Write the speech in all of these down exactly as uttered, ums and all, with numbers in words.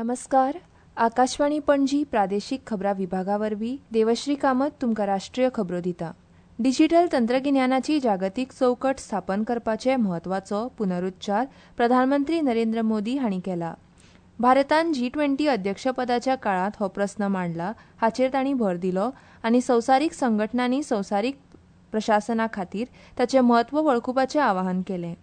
नमस्कार. आकाशवाणी पणजी प्रादेशीक खबरां विभागा वरवीं देवश्री कामत तुमकां राष्ट्रीय खबरो दिता. डिजिटल तंत्रगिन्यानाची जागतीक चौकट स्थापन करपाचे म्हत्वाचो पुनरुच्चार प्रधानमंत्री नरेंद्र मोदी हांणी केला. भारतान जी ट्वेंटी अध्यक्षपदाच्या काळांत हो प्रस्न मांडला हाचेर तांणी भर दिलो आनी संवसारीक संघटनांनी संवसारीक प्रशासना खातीर ताचें म्हत्व वळखुपाचें आवाहन केलें.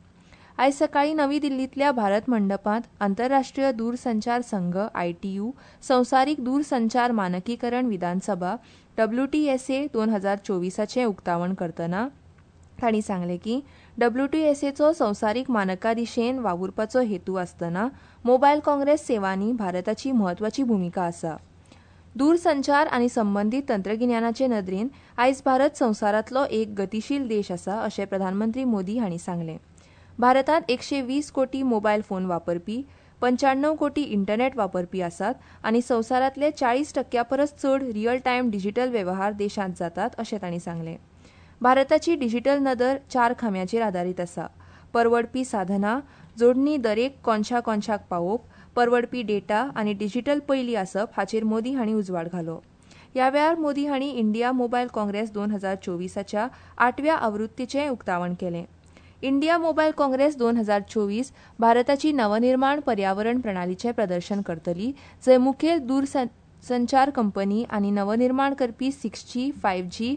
आयज सकाळीं नवी दिल्लींतल्या भारत मंडपांत आंतरराष्ट्रीय दूरसंचार संघ आयटीयू संवसारीक दूरसंचार मानकीकरण विधानसभा डब्ल्यूटीएसए दोन हजार चोवीसाचें उक्तावण करतना तांणी सांगलें की डब्ल्यूटीएसएचो संवसारीक मानका दिशेन वावुरपाचो हेतू आसतना मोबायल काँग्रेस सेवांनी भारताची म्हत्वाची भुमिका आसा. दूरसंचार आनी संबंदीत तंत्रगिन्यानाचे नदरेन आयज भारत संवसारांतलो एक गतीशील देश आसा अशें प्रधानमंत्री मोदी हांणी सांगलें. भारतांत एकशे वीस कोटी मोबायल फोन वापरपी, पंच्याण्णव कोटी इंटरनेट वापरपी आसात आनी संवसारांतले चाळीस टक्क्या परस चड रियल टायम डिजिटल वेव्हार देशांत जातात अशें तांणी सांगलें. भारताची डिजिटल नदर चार खांब्याचेर आदारीत आसा. परवडपी साधनां, जोडणी दरेक कोनशा कोनशाक पावोवप, परवडपी डेटा आनी डिजिटल पयली आसप हाचेर मोदी हांणी उजवाड घालो. ह्या वेळार मोदी हांणी इंडिया मोबायल काँग्रेस दोन हजार चोवीसाच्या आठव्या आवृत्तीचें उक्तावण केलें. इंडिया मोबायल काँग्रेस दोन हजार चोवीस भारताची नवनिर्माण पर्यावरण प्रणालीचें प्रदर्शन करतली, जंय मुखेल दूरसंचार कंपनी आनी नवनिर्माण करपी six G, five G,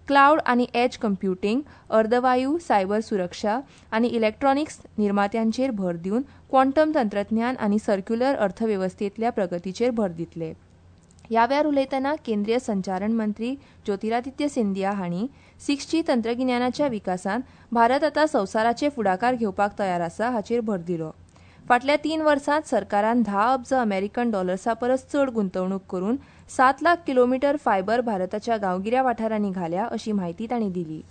cloud आनी एज कंप्युटींग, अर्दवायू, सायबर सुरक्षा आनी इलेक्ट्रॉनिक्स निर्मात्यांचेर भर दिवन क्वांटम तंत्रज्ञान आनी सर्क्युलर अर्थवेवस्थेंतल्या प्रगतीचेर भर दितले. ह्या वेळार उलयतना केंद्रीय संचारण मंत्री ज्योतिरादित्य सिंधिया हांणी सिक्स जी तंत्रगिन्यानाच्या विकासांत भारत आतां संवसाराचे फुडाकार घेवपाक तयार आसा हाचेर भर दिलो. फाटल्या तीन वर्सांत सरकारान धा अब्ज अमेरिकन डॉलर्सा परस चड गुंतवणूक करून सात लाख किलोमिटर फायबर भारताच्या गांवगिऱ्या वाठारांनी घाल्या अशी म्हायती तांणी दिली.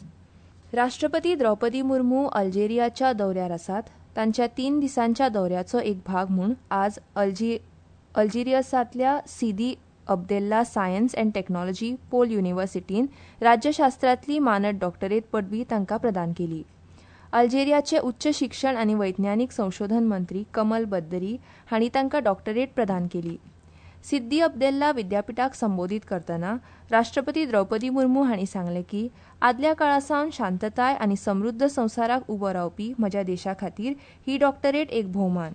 राष्ट्रपती द्रौपदी मुर्मू अल्जेरियाच्या दौऱ्यार आसात. तांच्या तीन दिसांच्या दौऱ्याचो एक भाग म्हूण आज अल्जी अल्जेरियसांतल्या Sidi Abdellah science and technology pole युनिव्हर्सिटीन राज्यशास्त्रांतली मानद डॉक्टरेट पदवी तांकां प्रदान केली. अल्जेरियाचे उच्च शिक्षण आनी वैज्ञानीक संशोधन मंत्री कमल बद्दरी हांणी तांकां डॉक्टरेट प्रदान केली. सिद्दी अब्देल्ला विद्यापिठाक संबोधीत करतना राष्ट्रपती द्रौपदी मुर्मू हांणी सांगलें की आदल्या काळा सावन शांतताय आनी समृद्ध संवसाराक उबो रावपी म्हज्या देशा खातीर ही डॉक्टरेट एक भोवमान.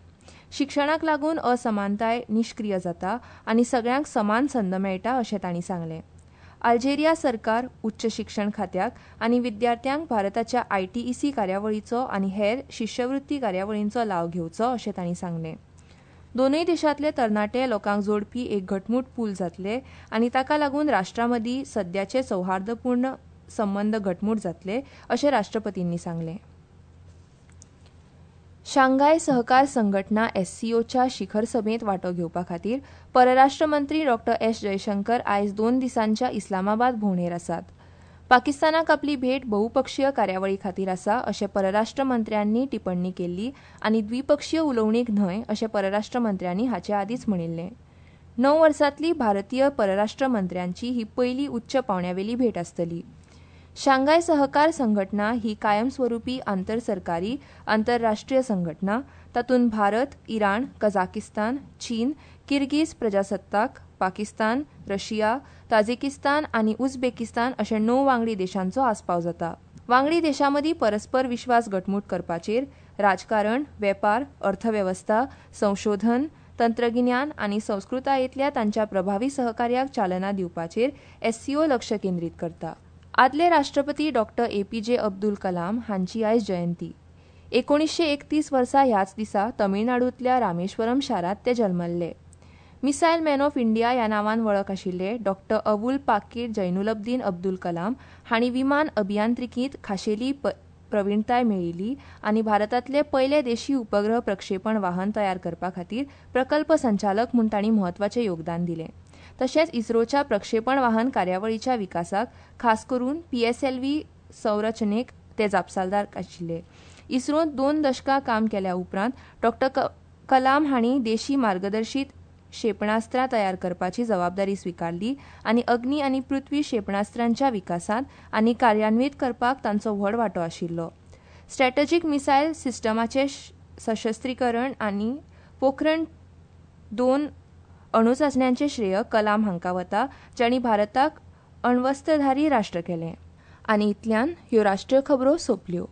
शिक्षणाक लागून असमानताय निश्क्रीय जाता आनी सगळ्यांक समान संद मेळटा अशें तांणी सांगलें. अल्जेरिया सरकार उच्च शिक्षण खात्याक आनी विद्यार्थ्यांक भारताच्या आयटीईसी कार्यावळीचो आनी हेर शिश्यवृत्ती कार्यावळींचो लाव घेवचो अशें तांणी सांगलें. दोनूय देशांतले तरणाटे लोकांक जोडपी एक घटमूट पूल जातले आनी ताका लागून राष्ट्रां मदीं सद्याचे सौहार्दपूर्ण संबंद घटमूट जातले अशें राष्ट्रपतींनी सांगलें. शांघाय सहकार संघटना एससीओच्या शिखर सभेंत वांटो घेवपा खातीर परराष्ट्र मंत्री डॉ एस जयशंकर आयज दोन दिसांच्या इस्लामाबाद भोंवडेर आसात. पाकिस्तानाक आपली भेट बहुपक्षीय कार्यावळी खातीर आसा अशें परराष्ट्र मंत्र्यांनी टिप्पणी केल्ली आनी द्विपक्षीय उलोवणीक न्हय अशें परराष्ट्र मंत्र्यांनी हाचे आदींच म्हणिल्लें. णव वर्सांतली भारतीय परराष्ट्र मंत्र्यांची ही पयली उच्च पांवड्यावेली भेट आसतली. शांघाय सहकार संघटना ही कायमस्वरूपी आंतरसरकारी आंतरराष्ट्रीय संघटना. तातूंत भारत, इराण, कझाकिस्तान, चीन, किर्गीज प्रजासत्ताक, पाकिस्तान, रशिया, ताजिकिस्तान आनी उझबेकिस्तान अशे णव वांगडी देशांचो आस्पाव जाता. वांगडी देशांमदीं परस्पर विश्वास घटमूट करपाचेर राजकारण, वेपार, अर्थवेवस्था, संशोधन, तंत्रगिन्यान आनी संस्कृतायेंतल्या तांच्या प्रभावी सहकार्याक चालना दिवपाचेर एससीओ लक्ष केंद्रीत करता. आदले राष्ट्रपती डॉ A P J Abdul Kalam हांची आयज जयंती. एकोणीसशे एकतीस वर्सा ह्याच दिसा तमिळनाडूंतल्या रामेश्वरम शारांत ते जल्मल्ले. मिसायल मॅन ऑफ इंडिया ह्या नांवान वळख आशिल्ले डॉ अवुल पाकीर जैनुलब्दीन अब्दुल कलाम हांणी विमान अभियांत्रिकींत खाशेली प्रवीणताय मेळयली आनी भारतांतले पयले देशी उपग्रह प्रक्षेपण वाहन तयार करपा खातीर प्रकल्प संचालक म्हूण तांणी म्हत्वाचें योगदान दिलें. तशेंच इस्रोच्या प्रक्षेपण वाहन कार्यावळीच्या विकासाक खास करून पीएसएलव्ही संरचनेक ते जापसालदार आशिल्ले. इस्रोंत दोन दशकां काम केल्या उपरांत डॉ कलाम हांणी देशी मार्गदर्शीत क्षेपणास्त्रां तयार करपाची जबाबदारी स्विकारली आनी अग्नी आनी पृथ्वी क्षेपणास्त्रांच्या विकासांत आनी कार्यान्वीत करपाक तांचो व्हड वांटो आशिल्लो. स्ट्रॅटजीक मिसायल सिस्टमाचें सशस्त्रीकरण आनी पोखरण दोन अणुचाचण्यांचे श्रेय कलाम हांकां वता, जांणी भारताक अण्वस्त्रधारी राष्ट्र केलें. आनी इतल्यान ह्यो राष्ट्रीय खबरो सोंपल्यो.